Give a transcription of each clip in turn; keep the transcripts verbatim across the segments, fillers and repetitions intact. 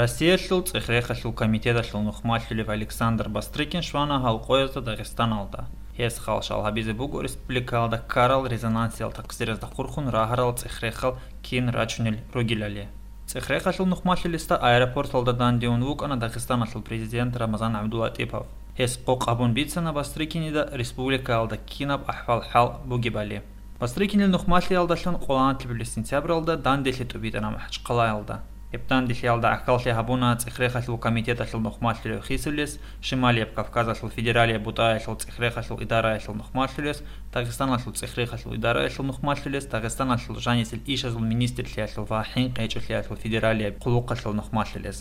Россиялъул цӀех-рехалъул комитеталъул нухмалъулев Александр Бастрыкин щвана гьал къоязда Дагъистаналда. Гьес хал-шал гьабизе буго республикаялда ккарал резонансиял такъсиразда хурхун рагьарал цӀех-рехал кин рачунел ругелали. ЦӀех-рехалъул нухмалъулесда аэропорталда данде ун вукӀана Дагъистаналъул президент Рамазан ГӀабдулатӀипов. Гьес къокъ гьабун бицана Бастрыкинида республикаялда кинаб ахӀвал-хӀал бугебали. Бастрыкинил нухмалъиялдалъун къоло нилъер сентябралда данделъи тӀубитӀана МахӀачхъалаялда. Гьеб данделъиялда гӀахьаллъи гьабуна цӀех-рехалъул комитеталъул нухмалъулев хисулес, Шималияб Кавказалъул федералияб бутӀаялъул цӀех-рехалъул идараялъул нухмалъулес, Дагъистаналъул цӀех-рехалъул идараялъул нухмалъулес, Дагъистаналъул жанисел ишазул министрлъиялъул ва хӀинкъи гьечӀолъиялъул федералияб хъулухъалъул нухмалъулес.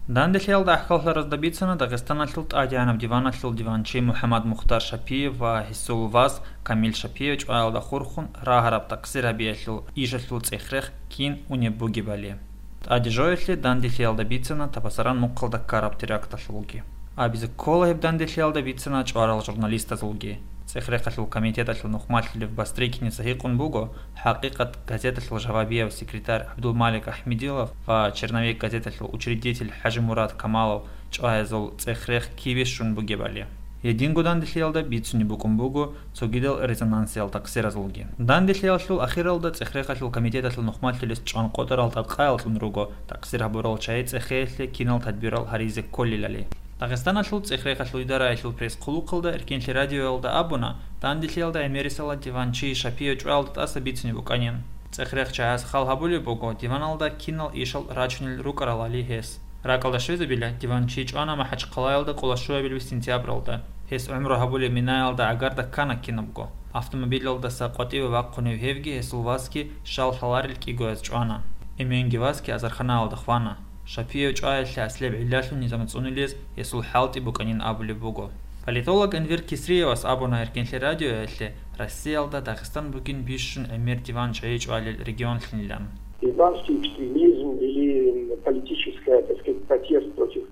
Данделъиялда гӀахьаллъаразда бицана Дагъистаналъул тӀадегӀанаб диваналъул диванчи МухӀаммад Мухтар Шапиев ва гьесул вас Камил Шапиев чӀваялда хурхун рагьараб такъсир гьабиялъул ишалъул цӀех-рех кин унеб бугебали. ТӀаде жоялъе данделъиялда бицана Табасаран мухъалда ккараб теракталъулги. Абизе ккола, гьеб данделъиялда бицана чӀварал журналистазулги. ЦӀех-рехалъул комитеталъул нухмалъулев Бастрыкиница гьикъун буго, «ХӀакъикъат» газеталъул жавабияв секретарь ГӀабдулмалик Ахмедилов ва «Черновик» газеталъул учредитель ХӀажимурад Камалов чӀваязул цӀех-рех кибищун бугебали. Гьединго данделъиялда бицунеб букӀун буго цогидал резонансиял такъсиразулги. Данделъиялъул ахиралда цӀех-рехалъул комитеталъул нухмалъулес чӀван къотӀарал тӀадкъаялъун руго такъсир гьабурал чагӀи цӀехеялъе кинал тадбирал гьаризе кколелали. Дагъистаналъул цӀех-рехалъул идараялъул пресс-хъулухъалда Эркенлъи радиоялда абуна, данделъиялда гӀемерисела диванчи Шапиев чӀваялда тӀаса бицунеб букӀанин. ЦӀех-рех чагӀаз хал гьабулеб буго диваналда кинал ишал рачунел рукӀаралали гьес. РакӀалда щвезабила, диванчи чӀвана МахӀачхъалаялда къоло щуабилеб сентябралда. Гьес гӀумру гьабулеб Минаялда гӀагарда ккана кинабго. Автомобилалдаса къватӀиве вахъунев гьевги гьесул васги щал лъаларел кӀигояз чӀвана. Эменги васги азарханаялда хвана. Шапиев чӀваялъе аслияб гӀиллалъун низам цӀунулез гьесул хӀалтӀи букӀанин абулеб буго. Политолог Энвер Кисриевас абуна Эркенлъи радиоялъе, Россиялда Дагъистан бугин бищун гӀемер диван чагӀи чӀвалел регионлъунилан. Исламский экстремизм или политическая, так сказать, протест против...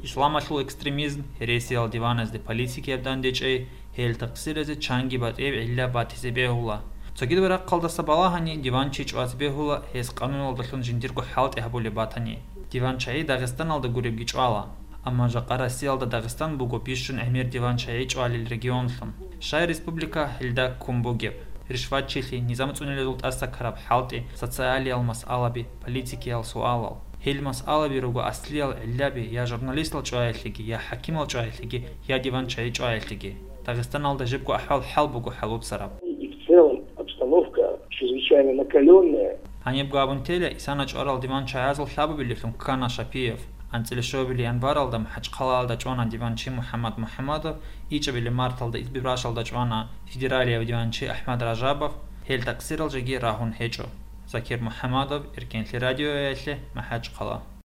Исламалъул экстремизм, гьересиял диваназде политикияб данде чӀей, гьел такъсиразе чанги батӀияб гӀилла батизе бегьула. Цогидаб рахъалдаса балагьани, диван чи чӀвазе бегьула, гьес къануналдалъун жиндирго хӀалтӀи гьабулеб батани. Диван чагӀи Дагъистаналда гуребги чӀвала. Амма жакъа Россиялда Дагъистан буго бищун гӀемер диван чагӀи чӀвалел регионлъун. Щай республика гьелда ккун бугеб? Ришватчилъи, низам цӀунулезул тӀаса ккараб хӀалтӀи, социалиял масъалаби, политикиял суалал. Гьел масъалаби руго аслиял гӀиллаби я журналистал чӀваялъеги, я хӀакимал чӀваялъеги, я диван чагӀи чӀваялъеги. Дагъистаналда жибго ахӀвал-хӀал буго хӀалуцараб. И в целом обстановка чрезвычайно накалённая. Гьанибго абун тела, исана чӀварал диван чагӀазул лъабабилелъун ккана Шапиев. АнцӀила щуабилеб январалда МахӀачхъалаялда чӀвана диванчи МухӀаммад МухӀаммадов, ичӀабилеб марталда Избербашалда чӀвана федералияб диванчи АхӀмад Ражабов, гьел такъсирал жеги рагьун гьечӀо. Закир МухӀаммадов, Эркенлъи радиоялъе, МахӀачхъала.